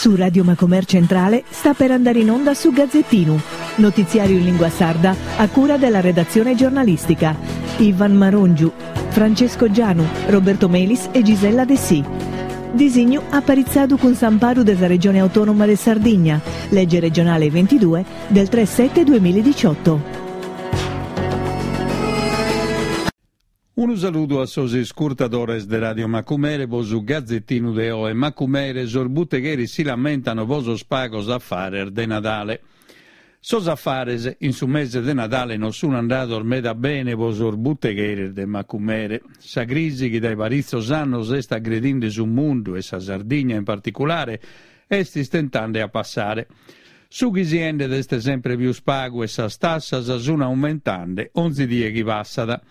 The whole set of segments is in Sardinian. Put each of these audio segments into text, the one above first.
Su Radio Macomer Centrale sta per andare in onda su Gazzettinu, notiziario in lingua sarda a cura della redazione giornalistica. Ivan Marongiu, Francesco Gianu, Roberto Melis e Gisella Dessì. Disignu aparitzadu cun s'amparu de sa Regione Autonoma de Sardigna, lege regionale 22 del 3 7 2018. Unu saludu a sos iscurtadores de Radio Macumere po su Gazettinu de oe. Macumere, sos butegheris si lamentano po sos pagos afares de Nadale. Sos afares in su mese de Nadale non sun andados meda bene po sos butegheris de Macumere. Sa crisi chi dae paritzos annos est aggredinde su mundu e sa Sardigna in particulare est istentande a passare. Su chi si 'endet est sempre pius pagu e sas tassas sun aumentande onzi die chi passat.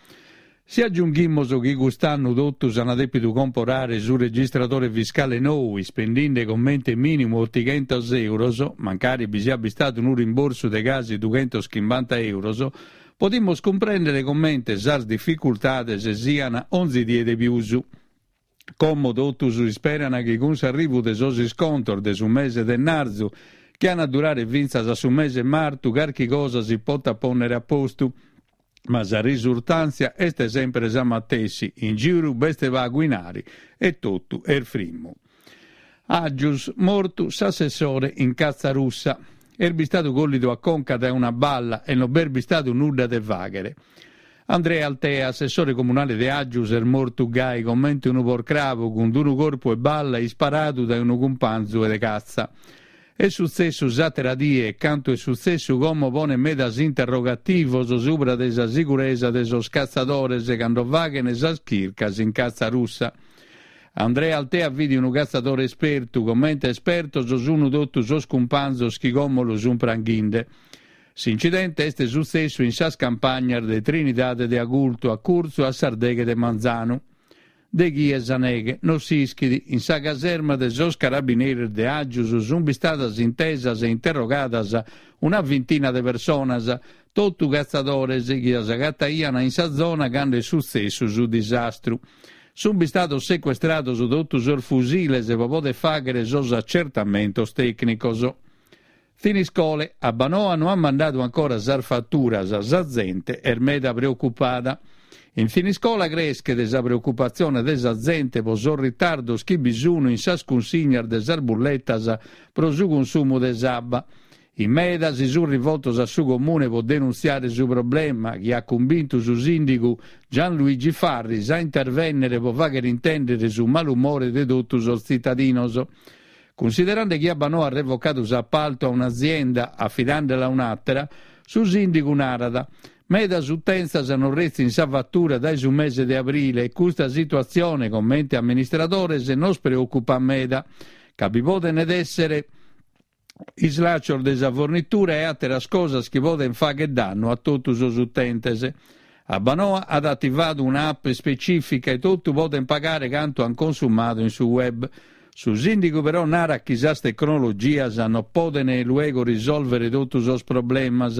Si agiunghimos chi cust'annu totus an dèpidu comporare su registradore fiscale nou ispendinde comente mìnimu otighentos euros, mancari bi siat bistadu unu rimborsu de casi dughentoschimbanta euros, podimos cumprèndere comente sas dificultades sian onzi die de pius. Como totus isperan chi cun s'arrivu de sos iscontos de su mese de 'ennarzu, chi an a durare fintzas a su mese martu, carchi cosa si potat pònnere a postu. Ma sa risurtàntzia est semper sa matessi, in giru b'est pagu 'inari e totu est frimmu. Aggius, mortu s'assessore in catza russa. Est bistadu collidu a conca dae una balla e non b'est bistadu nudda de fàghere. Andrea Altea, assessore comunale de Aggius, est mortu gai comente unu porcrabu cun d'unu corpu 'e balla isparadu dae unu cumpanzu de catza. Est sutzessu s'àtera die e cantu est sutzessu como ponet medas interrogativos subra de sa siguresa de sos catzadores cando faghent sas chircas in catza russa. Andrea Altea fit unu catzadore espertu, comente espertos sun totu sos cumpanzos chi como lu sun pranghinde. S'incidente est sutzessu in sas campagnas de Trinidade de Agultu, a curtzu a sas deghe de manzanu. De chie sa neghe no s'ischit, in sa caserma de sos carabineris de Aggius sunt bistadas intesas e interrogadas una vintina de personas, totu catzadores chi s'agataiant in sa zona cando est sutzessu su disastru. Sunt bistados secuestrados totu sos fusiles pro poder fàghere sos acertamentos tècnicos. Thiniscole, Abbanoa no at mandadu ancora sas faturas, sa zente est meda preocupada. In Thiniscola creschet sa preocupatzione de sa zente pro sos ritardos chi bi sun in sas cunsignas de sas bulletas pro su consumu de s'abba. In meda si sun rivoltos a su Comune pro denuntziare su problema chi at cumbintu su sìndigu Gianluigi Farris a intervènnere pro fàghere intèndere su malumore de totu sos tzitadinos. Cunsiderande chi Abbanoa at revocadu s'apaltu a un'azienda afidandela a un'àtera, su sìndigu narat, Medas utenzas non retzin sa fatura dae su mese de abrile e custa situatzione, comente amministradores, nos preòcupat meda, ca bi podent èssere islàcios de sa fornitura e àteras cosas chi podent fàghere dannu a totu sos utentes. Abbanoa at ativadu una app ispecìfica e totu podent pagare cantu ant consumadu in su web. Su sìndigu però narat chi sas tecnologias non podent luego risòlvere totu sos problemas.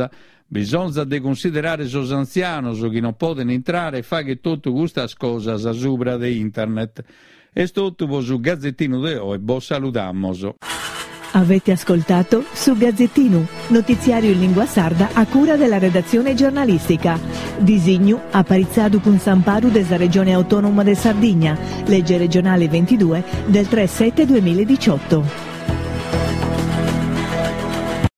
Bisonzat de cunsiderare sos antzianos chi non podent intrare e fàghere totu custas cosas subra de internet. Est totu pro su Gazettinu de oe, bos saludamos. Avete ascoltato Su Gazzettinu, notiziario in lingua sarda a cura della redazione giornalistica. Disignu aparitzadu cun s'amparu de sa Regione Autonoma de Sardigna, legge regionale 22 del 3 7 2018.